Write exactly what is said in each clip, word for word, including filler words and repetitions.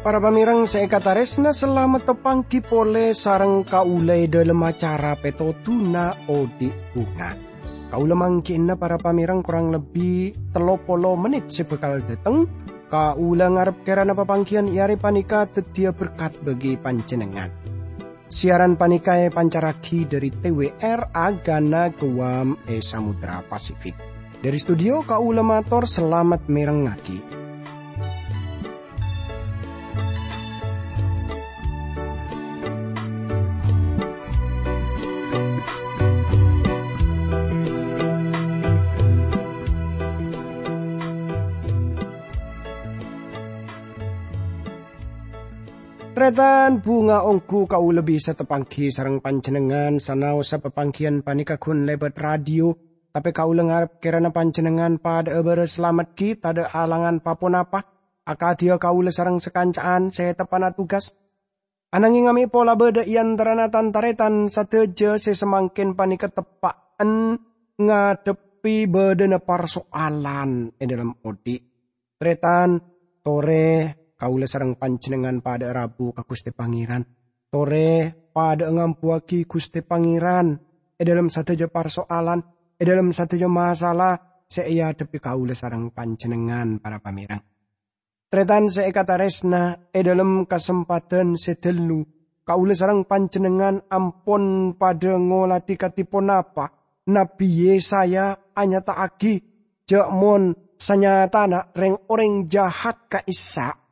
Para pamèrèng sè èkatarèsna, salamet tapangghi polè sareng kaulâ è dhâlem acara Pètodhuna Odi' Bhunga. Kaulâ mangghi'na para pamèrèng korang lebbi tello polo mennit sè bhâkal dâteng. Kaulâ ngarep kèrana papangghiyân è arè panèka dhâddhiyâ berkat bagi panjhennengngan. Siaran panèka èpancarraghi dhâri T W R Agana Guam è Samudra Pasifik. Dhâri studio kaulâ mator salamet mèrengngaghi. Tarètan, bhunga ongghu kaulâ bisa tapangghi sareng panjhennengngan sanaossa papangghiyân panèka ghun lèbât radio, tapè kaulâ ngarep kèrana panjhennengngan padhâ'â bârâs salamet ghi' tadhâ' alangan pa-ponapa, akadhiyâ kaulâ sareng sakanca'an sè teppa'na tugas. Ananghing amè' pola bâdâ è antarana tan-tarètan sadhâjâ sè samangkèn panèka teppa'en ngadhebbhi bâdâna parsoalan è dhâlem odi'. Tarètan, torè kaulâ sareng panjhennengngan padhâ'â rabu ka Ghustè Pangèran. Torè padhâ'â ngambuwâghi Ghustè Pangèran è dhâlem sadhâjâ parsoalan, è dhâlem sadhâjâ masalah sè èadhebbhi kaulâ sareng panjhennengngan, para pamèrèng. Tarètan sè èkatarèsna, è dhâlem kasempadhân sè dâllu, kaulâ sareng panjhennengngan ampon padhâ ngolatè kadhi ponapa Nabbhi Yesaya anyata'aghi jhâ' mon sanyatana rèng-orèng jahat ka'issa',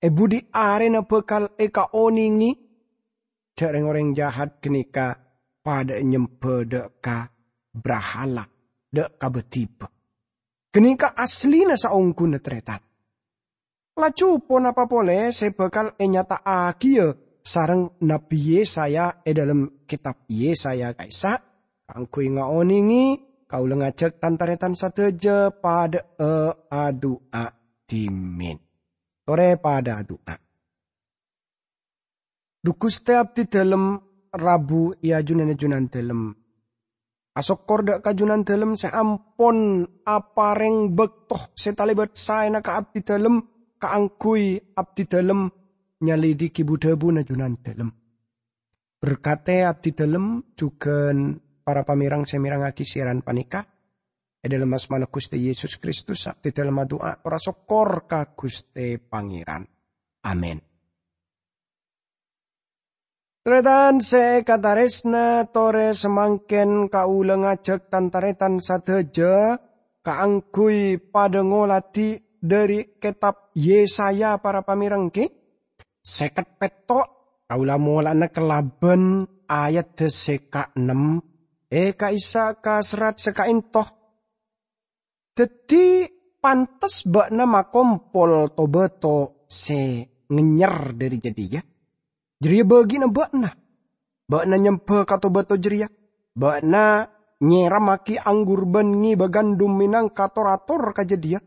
è budi arèna bhâkal èkaonèngè jhâ' rèng-orèng jahat ghânèka padhâ'â nyembhâ dâ' ka brahala, dâ' ka bâdhibâ. Ghânèka asllina saongghuna, tarètan. Laju ponapa polè sè bhâkal ènyata'aghiyâ sareng Nabbhi Yesaya è dhâlem Kètab Yesaya ka'issa'? Kaangghuy ngaonèngè, kaulâ ngajhâk tan-tarètan sadhâjâ padhâ'â adu'a dhimèn. Torè padhâ adu'a. Dhu Ghustè, abdhi dhâlem rabu è ajunanna Junandhâlem. Asokkor dâ' ka Junandhâlem sè ampon aparèng bâkto sè talèbât saèna ka abdhi dhâlem kaangghuy abdhi dhâlem nyalidhighi bu-dhâbuna Junandhâlem. Berkatè abdhi dhâlem jhughân para pamèrèng sè mèrengngaghi siaran panèka. È dhâlem asmana Ghustè Yesus Kristus, abdhi dhâlem adu'a tor asokkor ka Ghustè Pangèran. Amin. Tarètan sè èkatarèsna, torè samangkèn kaulâ ngajhâk tan-tarètan sadhâjâ kaangghuy padhâ ngolatè dhâri Kètab Yesaya, para pamèrèng, ghi. Sèket pètto', kaulâ mola'ana kalabân ayadda sè kaennem, è ka'issa' ka serrat sè kaènto. Dhâddhi, pantes bâ'na makompol to-bâto sè ngènyèr dhâri jâdiyâ. Jârèya bâgi'na bâ'na. Bâ'na nyembhâ ka to-bâto jârèya. Bâ'na nyèrèmmaghi anggur bân ngèbâ gandum mènangka tor-ator ka jâdiyâ.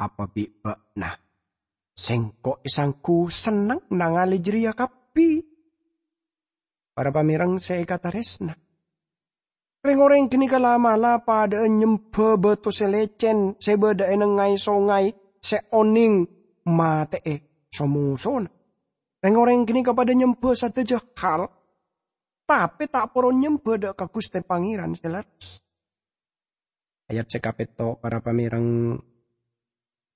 Apa bi' bâ'na? Sèngko' èsangghu senneng nangalè jârèya kabbhi. Para pamèrèng sè èkatarèsna, rèng-orèng ghânèka la'-mala' padhâ'â nyembhâ bâto sè lècèn sè bâdâ è nengnga'è songay sè onèng matè'è so-mosona. Rèng-orèng ghânèka padhâ nyembhâ sadhâjâ hal, tapè ta' poron nyembhâ dâ' ka Ghustè Pangèran sè lerres. Ayat sè kapètto', para pamèrèng,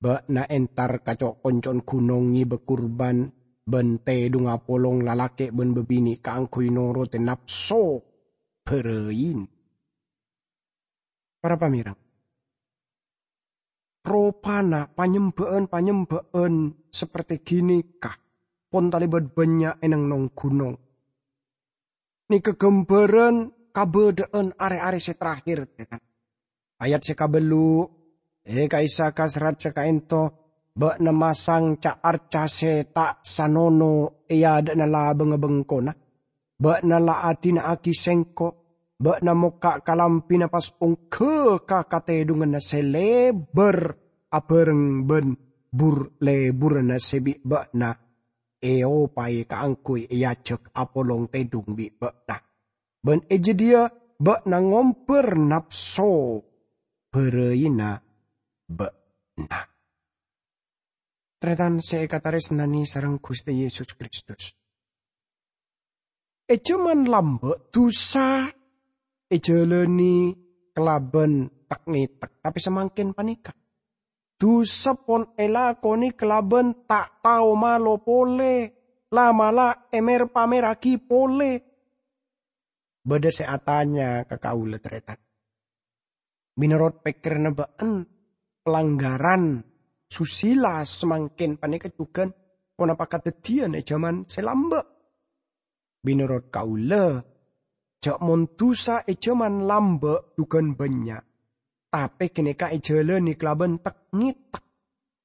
bâ'na entar ka co'-konco'na ghunong ngèbâ kurban bân tèdhungnga apolong lalakè' bân bâbinè' kaangghuy norotè napso bârâina. Para pamèrèng, ropana panyembhâ'ân-panyembhâ'ân sapertè ghânèka pon talèbât bânnya' è neng-nong ghunong. Nèka ghâmbhârân kabâdâ'ân arè-arè sè terakhir, tarètan. Ayat sè kabellu', è ka'issa' ka serrat sè kaènto, bâ'na masang ca'-arca sè ta' sanono è adâ'na labângnga bengkona. Bâ'na la adina'aghi sèngko', bâ'na mokka' kalambhina pas ongghâ ka katèdhunganna sè lèbâr abhâreng bân bur-lèburânna sè bi' bâ'na èopaè kaangghuy èajhâk apolong tèdhung bi' bâ'na. Bân è jâdiyâ bâ'na ngombâr napso bârâina bâ'na. Tarètan sè èkatarèsnanè sareng Ghustè Yesus Kristus. È jhâman lambâ' dusa èjhâlânè kalabân tek-ngètek, tapè samangkèn panèka dusa pon èlakonè kalabân ta' tao malo polè, la'-mala' èmer-pamerraghi polè. Bâdâ sè atanya ka kaulâ, tarètan, "Mènorot pèkkèranna bâ'ân, palanggaran susila samangkèn panèka jhughân ponapa kadhâddhiyân è jhâman sè lambâ'?" Mènorot kaulâ, jhâ' mon dusa è jhâman lambâ' jhughân bânnya', tapè ghânèka èjhâlânè kalabân tek-ngètek.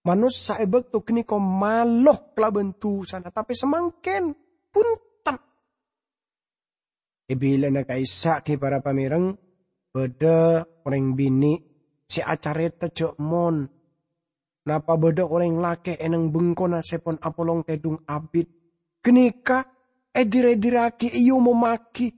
Manossa è bâkto ghânèka malo kalabân dusana, tapè samangkèn bhunten. È bilâna ka'issa' ghi, para pamèreng, bâdâ orèng binè' sè acarèta jhâ' mon napa bâdâ orèng lakè' è neng bengkona sè pon apolong tèdhung abit. Ghânèka èdir-èdirraghi, èomommaghi.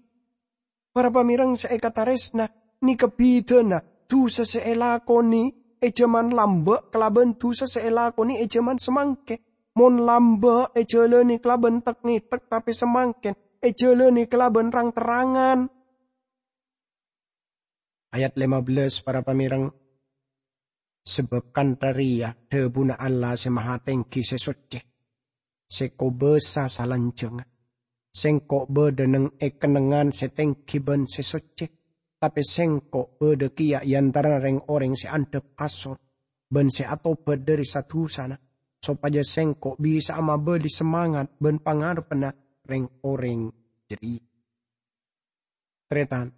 Para pamèreng sè èkatarèsna, nèka bhidhâna dusa sè èlakonè è jhâman lambâ' kalabân dusa sè èlakonè è jhâman samangkèn. Mon lambâ' èjhâlânè kalabân tek-ngètek, tapè samangkèn èjhâlânè kalabân rang-terrangan. Ayat lèma bellâs, para pamèreng, "Sabâb kantha rèya dhâbuna Allah Sè Mahatèngghi sè soccè, sè kobâsa salanjhângnga, Sèngko' bâdâ neng è kennengngan sè tèngghi bân sè soccè, tapè Sèngko' bâdâ kèya è antarana rèng-orèng sè andhâp asor bân sè atobât dhâri sa-dusana, sopajâ Sèngko' bisa'a mabâli samangat bân pangarebbhânna rèng-orèng jârèya." Tarètan,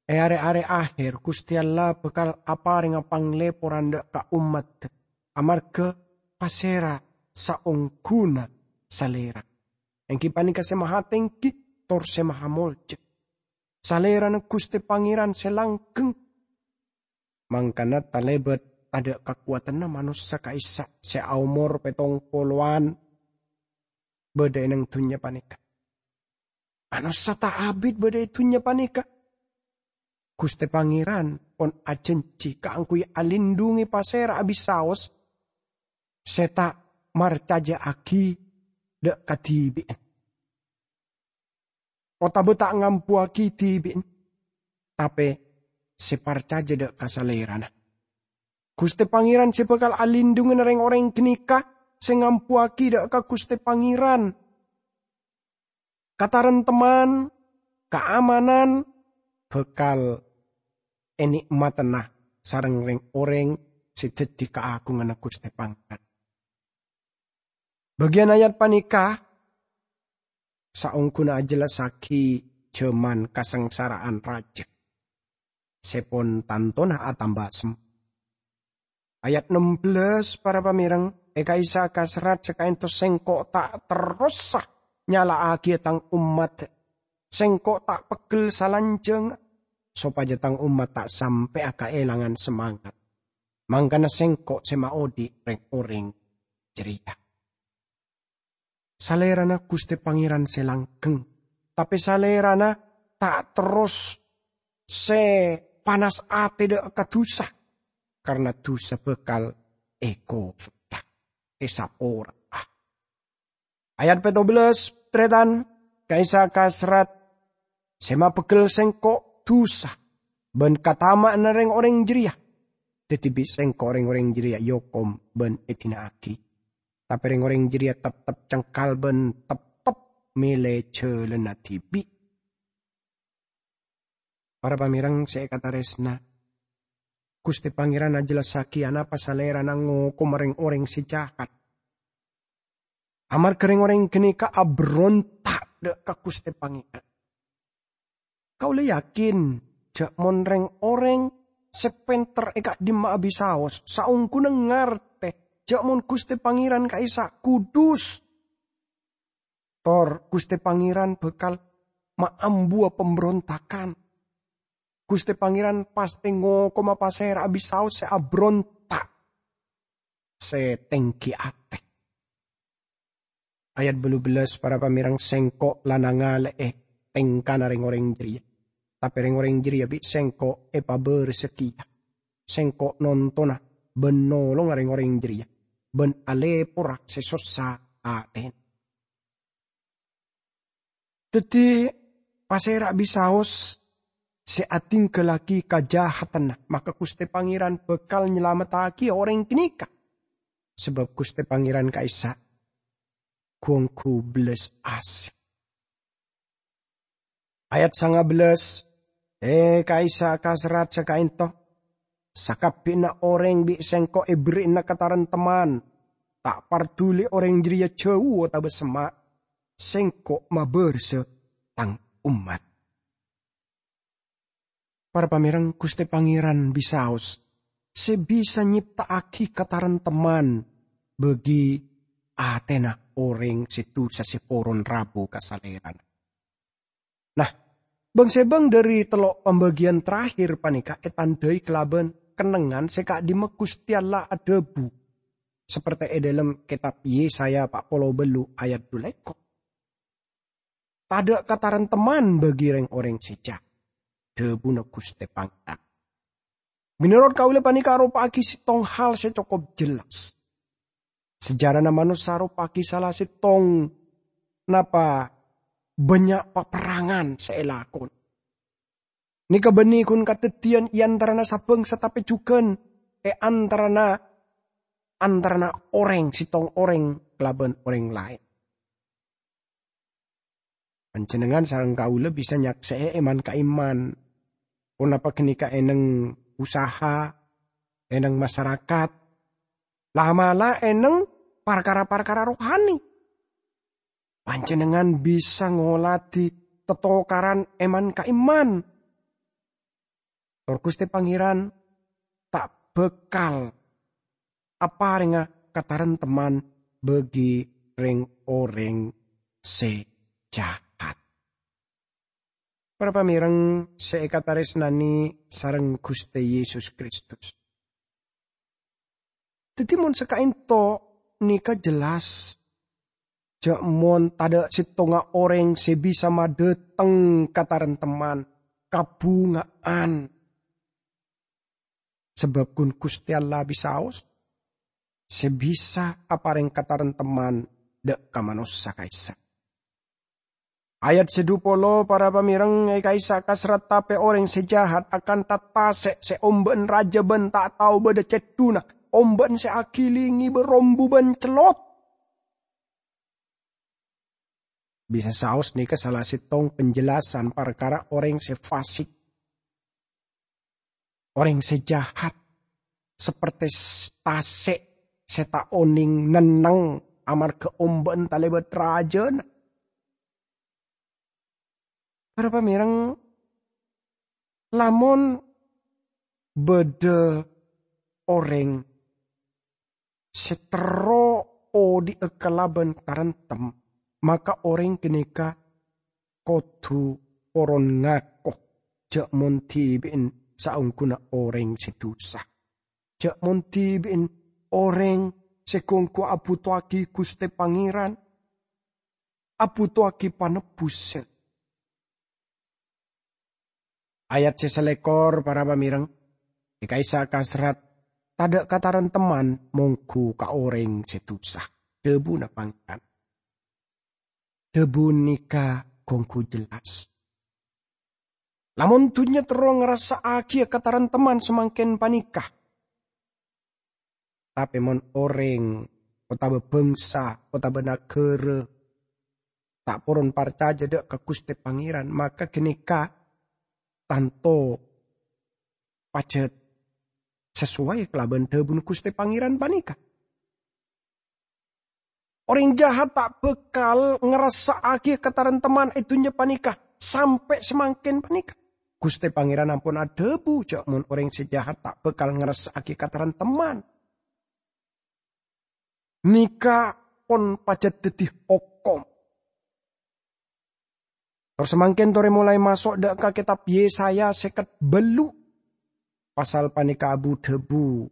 è rè-arè aher, Ghustè Allah bhâkal aparènga panglèporan dâ' ka ommaddhâ, amarghâ pasèra saongghuna Salèrana, èngghi panèka Sè Mahatèngghi tor Sè Mahamolja. Salèrana Ghustè Pangèran sè langgeng, mangkana talèbât tadâ' kakowadhânna manossa ka'issa' sè aomor pètong polowan bâdâ è neng dhunnya panèka. Manossa ta' abit bâdâ è dhunnya panèka. Ghustè Pangèran pon ajhânjhi kaangghuy alindhungi pasèra abisaos sè ta' marcajâ'aghi dâ' kadibi'na, otabâ ta' ngambuwâghi dhibi'na, tapè sè parcajâ dâ' ka Salèrana. Ghustè Pangèran sè bhâkal alindhungana rèng-orèng ghânèka sè ngambuwâghi dâ' ka Ghustè Pangèran. Kataremteman, kaamanan bhâkal ènè'matana sareng rèng-orèng sè dhâddhi kaagunganna Ghustè Pangèran. Bâgiyân ayat panèka saongghuna ajhellassaghi jhâman kasangsara'an rajâ sè pon tantona atamba sem-, Ayat ennem belas, para pamèreng, è ka'issa' ka serrat sè ka'ènto sèngko' ta' terrosa nyala'aghiyâ tang ommat. Sèngko' ta' peggel salanjhâng, sopajâ tang ommat ta' sampè'a kaèlangan samangat. Mangkana sèngko' sè maodhi' rèng-orèng jârèya. Salèrana Ghustè Pangèran sè langgeng, tapè Salèrana ta' terros sè panas atè dâ' ka dusa, karna dusa bhâkal èkosodhâ, èsapora'a. Ayat pètto belas, tarètan, ka'issa' ka serrat sè mapeggel sèngko' dusa bân katama'anna rèng-orèng jârèya. Dhâddhi bi' sèngko' rèng-orèng jârèya èokom bân èdina'aghi. Tapè rèng-orèng jârèya teptep cengkal bân teptep mèlè jhâlânna dhibi'. Para pamèreng sè èkatarèsna, Ghustè Pangèran ajhellassaghi anapa Salèrana ngokoma rèng-orèng sè jahat. Amarghâ rèng-orèng ghânèka abhâronta' dâ' ka Ghustè Pangèran. Kaulâ yakin jhâ' mon rèng-orèng sè pènter è ka'dimma abisaos, saongghuna ngartè jhâ' mon Ghustè Pangèran ka'issa' kudus, tor Ghustè Pangèran bhâkal maambuwâ pambhârontaghân. Ghustè Pangèran pastè ngokoma pasèra abisaos sè abhâronta', sè tèngghi atè. Ayat bâllu bellâs, para pamèrèng, "Sèngko' la nangale'è tèngkana rèng-orèng jârèya, tapè rèng-orèng jârèya bi' Sèngko' èpabârâsa kèya. Sèngko' nontona bân nolonga rèng-orèng jârèya, bân alèpora sè sossa atèna." Dhâddhi, pasèra bisaos sè adhingghâllaghi kajahatanna, maka Ghustè Pangèran bhâkal nyalamettaghi orèng ghânèka, sabâb Ghustè Pangèran ka'issa' ghu-ongghu bellas asè. Ayat sanga bellâs, "È, ka'issa' kaserrat saka'ènto, sakabbhiyânna orèng bi' Sèngko' èberri'ana kataremtemman, ta' parduli orèng jârèya jâu otabâ semma', Sèngko' mabârâsa Tang ommat." Para pamèrèng, Ghustè Pangèran bisaos sè bisa nyepta'aghi kataremtemman bagi atèna orèng sè dusa sè poron rabu ka Salèrana. Nah, bâng-sèbâng dhâri tello' pambâgiyân terakhir panèka ètandhâi kalabân kennengngan sè ka'dimma Ghustè Allah adhâbu, saperte è dhâlem kètab Yesaya pa' polo bâllu' ayat dhu lèkor. "Tadâ' kataremtemman bagi rèng-orèng sè jahat," dhâbuna Ghustè Pangèran. Mènorot kaulâ panèka aropa'aghi sèttong hal sè cokop jelas. Sejarana manossa aropa'aghi sala sèttong napa bânnya' paperrangan sè èlakonè. Nèka bânnè ghun kadhâddhiyân è antarana sabângsa tapè jhughân è antarana, antarana orèng sèttong orèng kalabân orèng laèn. Panjhennengngan sareng kaulâ bisa nyaksè'è è man-ka'imman, ponapa ghânèka è nèng usaha, è nèng masarakat, la'-mala' è nèng parkara-parkara rohani. Panjhennengngan bisa ngoladhi tatokaran è man-ka'imman. Tor Ghustè Pangèran ta' bhâkal aparènga kataremtemman bagi rèng-orèng sè jahat. Para pamèrèng sè èkatarèsnanè sareng Ghustè Yesus Kristus. Dhâddhi, mon saka'ènto nèka jelas, jhâ' mon tadâ' sèttonga orèng sè bisa madhâteng kataremtemman, kabhunga'an. Sabâb ghun Ghustè Allah bisaos, sè bisa aparèng kataremtemman dâ' ka manossa ka'issa'. Ayat sè dhu polo, para pamèrèng, è ka'issa' kaserrat tapè orèng sè jahat akanta tasè' sè ombâ'ân rajâ bân ta' tao bâdâ cèddhuna, ombâ'ân sè aghilingè bâ rombu bân cellot. Bisa saos nèka sala sèttong penjelasan parkara orèng sè fasik. Orèng sè jahat, saperte s-, tasè' sè ta' onèng nenneng amarghâ ombâ'ân talèbât rajâna. Para pamèrèng, lamon bâdâ orèng sè terro odi'â kalabân taremtem, maka orèng ghânèka kodhu poron ngako jhâ' mon dhibi'en saongghuna orèng sè dusa. Jhâ' mon dhibi'en orèng sè ghu-ongghu abhutoaghi Ghustè Pangèran, abhutoaghi panebbhusân. Ayat sè salèkor, para pamèrèng, è ka'issa' kaserrat, "Tadâ' kataremtemman mongghu ka orèng sè dusa," dhâbuna Pangèran. Dhâbu nèka ghu-ongghu jelas. Lamon dhunnya terro ngarassa'aghiyâ kataremtemman samangkèn panèka, tapè mon orèng otabâ bhângsa otabâ naghârâ ta' poron parcajâ dâ' ka Ghustè Pangèran, maka ghânèka tanto pajhât sasowai kalabân dhâbuna Ghustè Pangèran panèka. Orèng jahat ta' bhâkal ngarassa'aghi kataremtemman è dhunnya panèka sampè' samangkèn panèka. Ghustè Pangèran ampon adhâbu jhâ' mon orèng sè jahat ta' bhâkal ngarassa'aghi kataremtemman. Nèka pon pajhât dhâddhi hokom. Tor samangkèn torè molaè maso' dâ' ka kètab Yesaya sèket bâllu'. Pasal panèka abu-dhâbu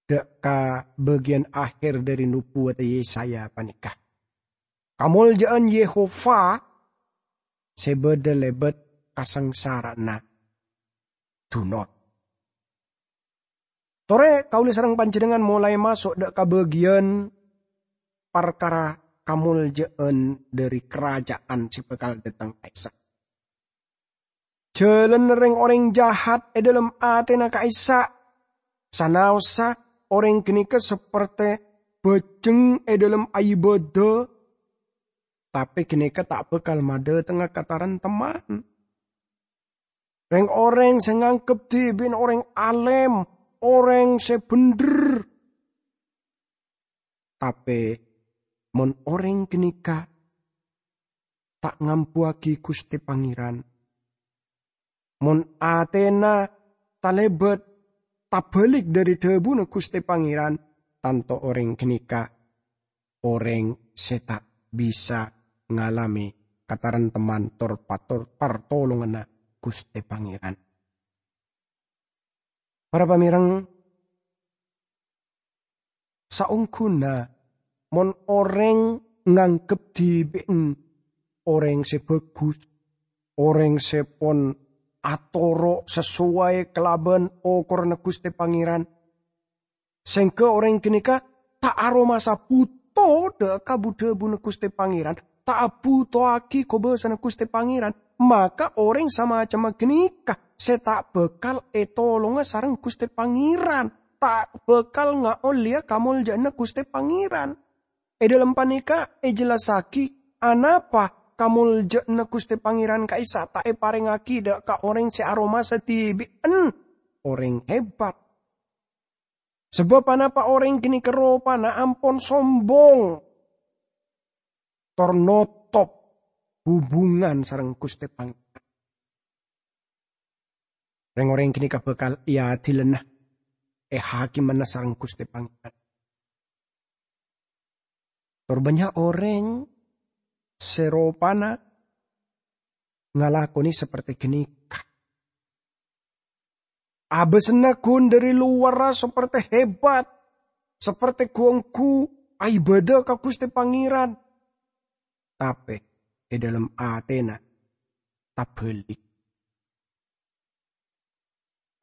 dâ' ka bâgiyân akhèr dhâri nobuwâdhâ Yesaya panèka. Kamolja'an Yehova sè bâdâ lèbât kasangsara'anna dunor. Torè kaulâ sareng panjhennengngan molaè maso' dâ' ka bâgiyân parkara kamolja'an dhâri karaja'an sè bhâkal dâteng ka'issa'. Jhâlânna rèng-orèng jahat è dhâlem atèna ka'issa', sanaossa orèng ghânèka sapertè bhâjheng è dhâlem aibâdâ, tapè ghânèka ta' bhâkal madhâtengnga kataremtemman. Rèng-orèng sè nganggep dhibi'na orèng alèm, orèng sè bhendher. Tapè mon orèng ghânèka ta' ngambuwâghi Ghustè Pangèran, mon atèna talèbât tabhâlik dhâri dhâbuna Ghustè Pangèran, tanto orèng ghânèka orèng sè ta' bisa ngalamè kataremtemman tor pator-, partolonganna Ghustè Pangèran. Para pamèreng, saongghuna mon orèng nganggep dhibi'en orèng sè bhâghus, orèng sè pon atoro' sasoway kalabân okoranna Ghustè Pangèran, sèngghâ orèng ghânèka ta' aromasa bhuto dâ' ka bu-dhâbuna Ghustè Pangèran, ta' abhutowaghi kobâsana Ghustè Pangèran, maka orèng samacemma ghânèka sè ta' bhâkal ètolonga sareng Ghustè Pangèran, ta' bhâkal ngaollèya kamolja'anna Ghustè Pangèran. È dhâlem panèka èjellassaghi anapa kamolja'anna Ghustè Pangèran ka'issa' ta' èparèngngaghi dâ' ka orèng sè aromasa dhibi'en orèng hebat. Sabâb anapa orèng ghânèka ropana ampon sombong, tor notop hubungan sareng Ghustè Pangèran. Rèng-orèng ghânèka bhâkal èadilana, èhakimana sareng Ghustè Pangèran. Tor bânnya' orèng sè ropana ngalakonè sapertè ghânèka. Abâsna ghun dhâri lowarra sapertè hebat, sapertè ghu-ongghu aibâdâ ka Ghustè Pangèran. Tapè è dhâlem atèna tabhâlik.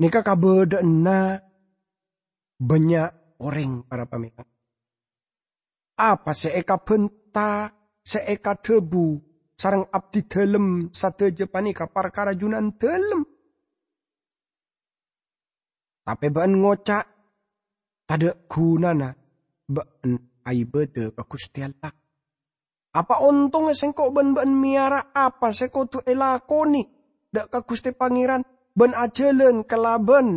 Nèka kabâdâ'ânna bânnya' orèng, para pamèreng. Apa sè èkabhânta, sè èkadhâbu sareng abdhidhâlem sadhâjâ panèka parkara Junandhâlem. Tapè bâ'ân ngoca', "Tadâ' ghunana bâ'ân aibâdâ ka Ghustè Allah. Apa ontongnga sèngko' bân bâ'ân mèyara apa sè kodhu èlakonè dâ' ka Ghustè Pangèran bân ajhâlân kalabân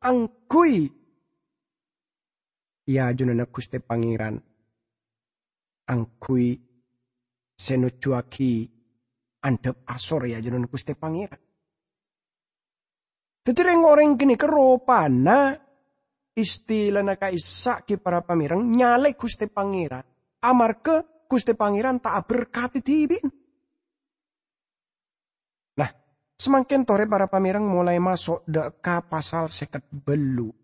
angghuy è ajunanna Ghustè Pangèran, angghuy sè nojjhuwâghi andhâp asor è ajunanna Ghustè Pangèran?" Dhâddhi, rèng-orèng ghânèka ropana istilana ka'issa' ghi para pamèreng nyalè Ghustè Pangèran, amarghâ Ghustè Pangèran ta' aberkadhi dhibi'na. Nah, samangkèn torè para pamèreng molaè maso' dâ' ka pasal sèket bâllu'.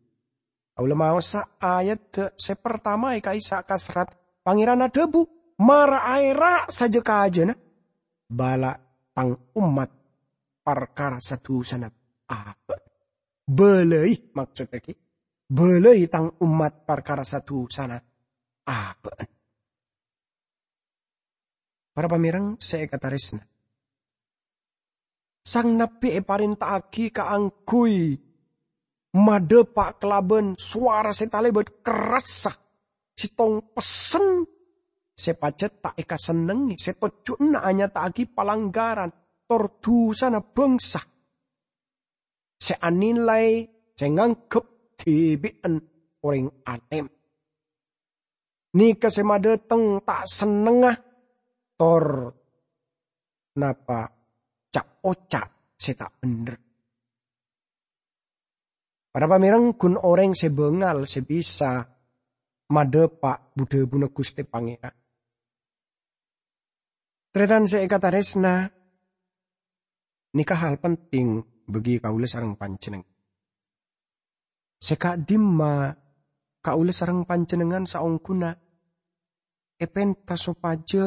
Kaulâ maosa ayat sè partama è ka'issa' kaserrat, Pangèran adhâbu, "Mara aèra' sajâ-kajâna, bâlâi tang ommat parkara sadhusana abâ'." Bâlâi, maksoddhâ ghi, bâlâi tang ommat parkara sadhusana abâ'. Para pamèreng sè èkatarèsna, sang nabbhi èparènta'aghi kaangghuy madhâpa' kalabân sowara sè talèbât kerrassa, sèttong pessen sè pajhât ta' èkasennengngè, sè tojjhuna anyata'aghi palanggaran tor dhusana bhângsa sè anilai, sè nganggep dhibi'en orèng alèm. Nèka sè madhâteng ta' sennengnga tor napa ca'-oca' sè ta' bhendher. Para pamèreng, ghun orèng sè bângal sè bisa madhâpa' bu-dhâbuna Ghustè Pangèran. Tarètan sè èkatarèsna, nèka hal penting bagi kaulâ sareng panjhennengngan. Sè ka'dimma kaulâ sareng panjhennengngan saongghuna èpènta sopajâ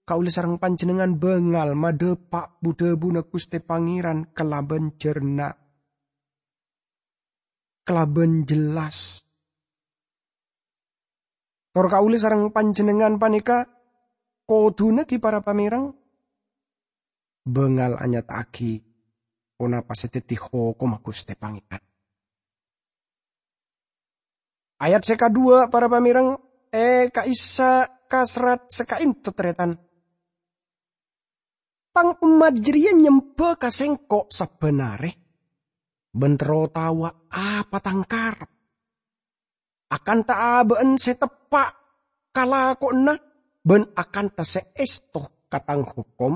kaulâ sareng panjhennengngan bângal madhâpa' bu-dhâbuna Ghustè Pangèran kalabân jhârna, kalabân jelas. Tor kaulâ sareng panjhennengngan panèka kodhuna ghi para pamèrèng bângal anyata'aghi ponapa sè dhâddhi hokomma Ghustè Pangèran. Ayat sè kaduwâ', para pamèrèng, è ka'issa' ka serrat sè ka'ènto, tarètan. "Tang ommat jârèya nyembâ ka Sèngko' sabbhân arè, bân terro taowa apa Tang karep. Akanta abâ'na sè teppa' kalakowanna bân akanta sè èsto ka Tang hokom."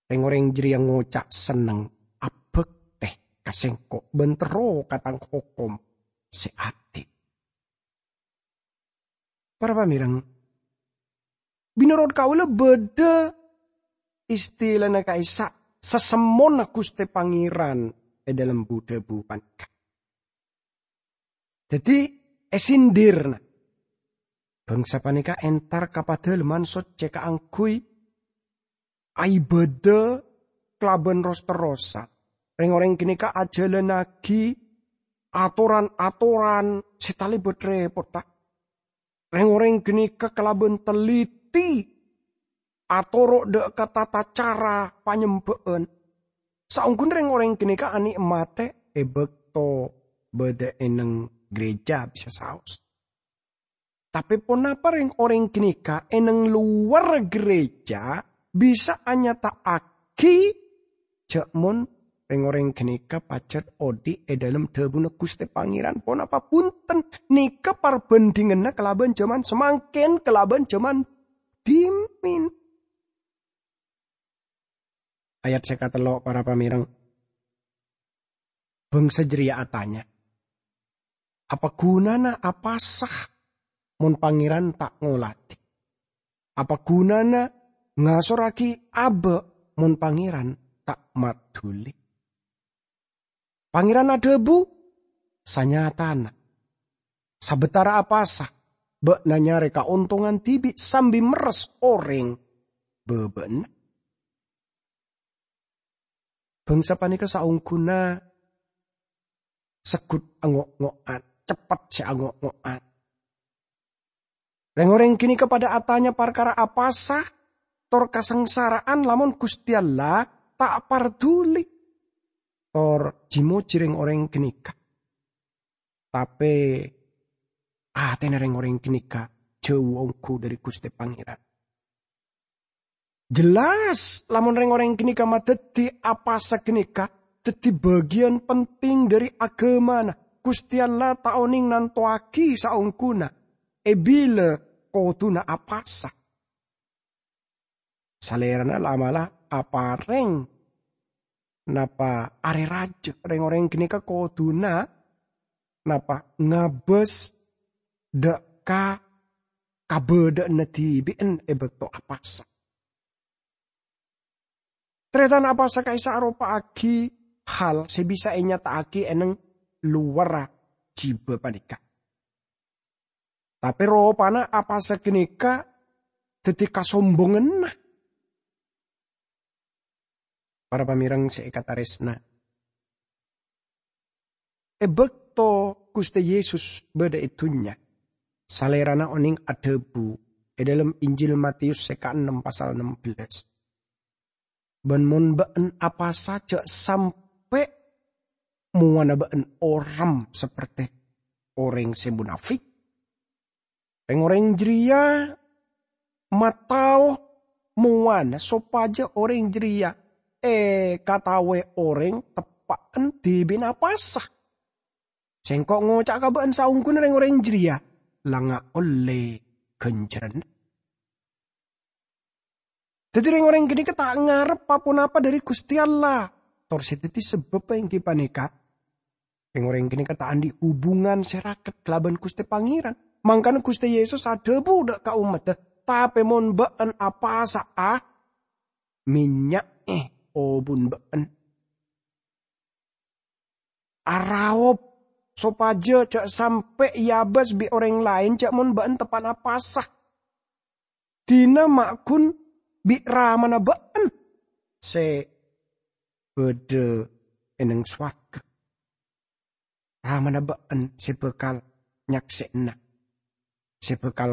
Rèng-orèng jârèya ngoca' senneng abhâktè ka Sèngko' bân terro ka Tang hokom sè adil. Para pamèrèng, mènorot kaulâ bâdâ istilana ka'issa' sasemmona Ghustè Pangèran è dâlem bu-dhâbu panèka. Dhâddhi, èsindirna, bhângsa panèka entar ka Padalemman Soccè kaangghuy aibâdâ kalabân ros-terrosan. Rèng-orèng ghânèka ajhâlânnaghi atoran-atoran sè talèbât rèpotta. Rèng-orèng ghânèka kalabân telliti atoro' dâ' ka tata cara panyembâ'ân. Saongghuna rèng-orèng ghânèka anè'matè è bâkto bâdâ è neng gereja bisa saos. Tapè ponapa rèng-orèng ghânèka è neng lowar gereja bisa anyata'aghi jhâ' mon rèng-orèng ghânèka pajhât odi' è dâlem dhâbuna Ghustè Pangèran? Ponapa bhunten, nèka parbhândhinganna kalabân jhâman samangkèn, kalabân jhâman dhimèn. Ayat sè katello', para pamèrèng. Bhângsa jârèya atanya, "Apa ghunana apasa mon Pangèran ta' ngolatè? Apa ghunana ngasorraghi abâ' mon Pangèran ta' madhuli?" Pangèran adhâbu, "Sanyatana, sabâtara apasa bâ'na nyarè kaontongan dhibi' sambi merres orèng bâbâ'na?" Bhângsa panèka saongghuna segghut ango'-ngo'an, ceppet sè ango'-ngo'an. Rèng-orèng ghânèka padâ atanya parkara apasa tor kasangsara'an lamon Ghustè Allah ta' parduli. Tor ji-moji rèng-orèng ghânèka. Tapè atèna rèng-orèng ghânèka jhâu ongghu dâri Ghustè Pangèran. Jelas, lamon rèng-orèng ghânèka madhâddhi apasa ghânèka dhâddhi bâgiyân penting dâri aghâmana, Ghustè Allah ta' onèng nantowaghi saongghuna è bilâ kodhuna apasa. Salèrana la'-mala' aparèng napa arè rajâ, rèng-orèng ghânèka kodhuna napa ngabâs dâ' ka kabâdâ'ânna dhibi'en è bâkto apasa. Tarètan, apasa ka'issa' aropa'aghi hal sè bisa ènyata'aghi è neng lowarra jibâ panèka. Tapè ropana apasa ghânèka dhâddhi kasombonganna. Para pamèrèng sè èkatarèsna, è bâkto Ghustè Yesus bâdâ è dhunnya, Salèrana onèng adhâbu è dâlem Injil Matius sè kaennem pasal ennem belas, "Bân mon bâ'na apasa, jhâ' sampè' mowana bâ'na orèm sapertè orèng sè monafik." Rèng-orèng jârèya matao mowana sopajâ orèng jârèya èkataowè orèng teppa'na dhibi'na apasa. Sèngko' ngoca'a ka bâ'na, saongghuna rèng-orèng jârèya la ngaollè ghânjhârânna. Dhâddhi, rèng-orèng ghânèka ta' ngarep pa-ponapa dâri Ghustè Allah. Tor sè dhâddhi sabâbbhâ èngghi panèka, rèng-orèng ghânèka ta' andi' hubungan sè raket kalabân Ghustè Pangèran. Mangkana Ghustè Yesus adhâbu dâ' ka ommaddhâ, "Tapè mon bâ'na apasa'a, mènnya'è obun bâ'na. Araop sopajâ jhâ' sampè' èabâs bi' orèng laèn, jhâ' mon bâ'na teppa'na apasa." Dina ma' ghun bi' Ramana bâ'en sè bâdâ è neng sowarghâ. Ramana bâ'en sè bhâkal nyaksè'ana, sè bhâkal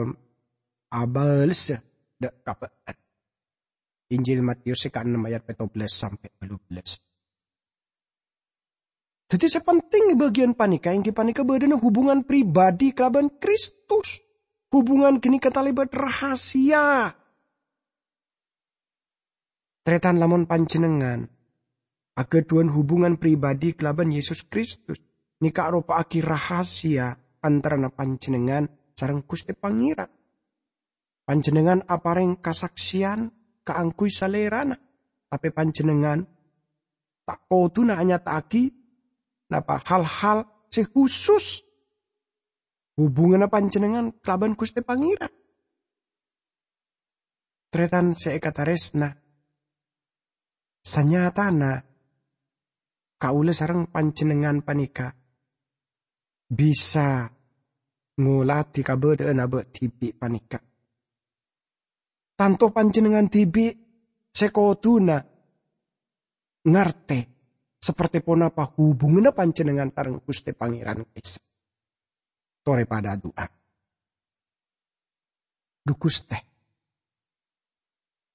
abâlessa dâ' ka bâ'en. Injil Matius sè kaennem ayat pètto bellâs sampè' bâllu bellâs. Dhâddhi sè penting è bâgiyân panèka èngghi panèka bâdâna hubungan pribadi kalabân Kristus. Hubungan ghânèka talèbât rahasia. Tarètan, lamon panjhennengngan aghâdhuwân hubungan pribadi kalabân Yesus Kristus, nèka aropa'aghi rahasia antarana panjhennengngan sareng Ghustè Pangèran. Panjhennengngan aparèng kasaksèyan kaangghuy Salèrana, tapè panjhennengngan ta' kodhuna anyata'aghi napa hal-hal sè husus hubunganna panjhennengngan kalabân Ghustè Pangèran. Tarètan sè èkatarèsna, sanyatana kaulâ sareng panjhennengngan panèka bisa ngolatè kabâdâ'ânna bâ' dhibi' panèka. Tanto panjhennengngan dhibi' sè kodhuna ngartè sapertè ponapa hubunganna panjhennengngan sareng Ghustè Pangèran ka'issa'. Torè padâ adu'a. Dhu Ghustè,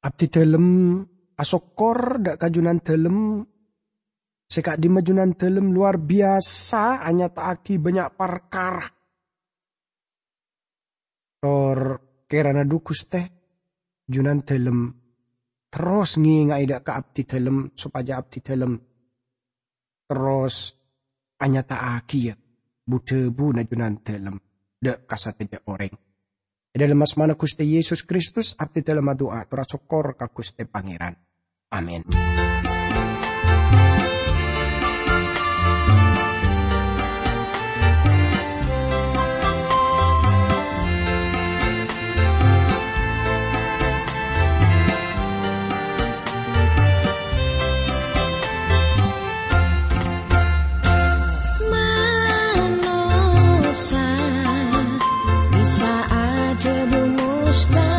abdhidhâlem asokkor dâ' ka Junandhâlem sè ka'dimma Junandhâlem lowar biyasa anyata'aghi bânnya' parkara. Tor kèrana dhu Ghustè, Junandhâlem terros ngènga'è dâ' ka abdhidhâlem sopajâ abdhidhâlem terros anyata'aghiyâ bu-dhâbuna Junandhâlem dâ' ka sadhâjâ orèng. È dâlem asmana Ghustè Yesus Kristus, abdhidhâlem adu'a tor asokkor ka Ghustè Pangèran. Amin. Manossa bisa adhâbu mustahil.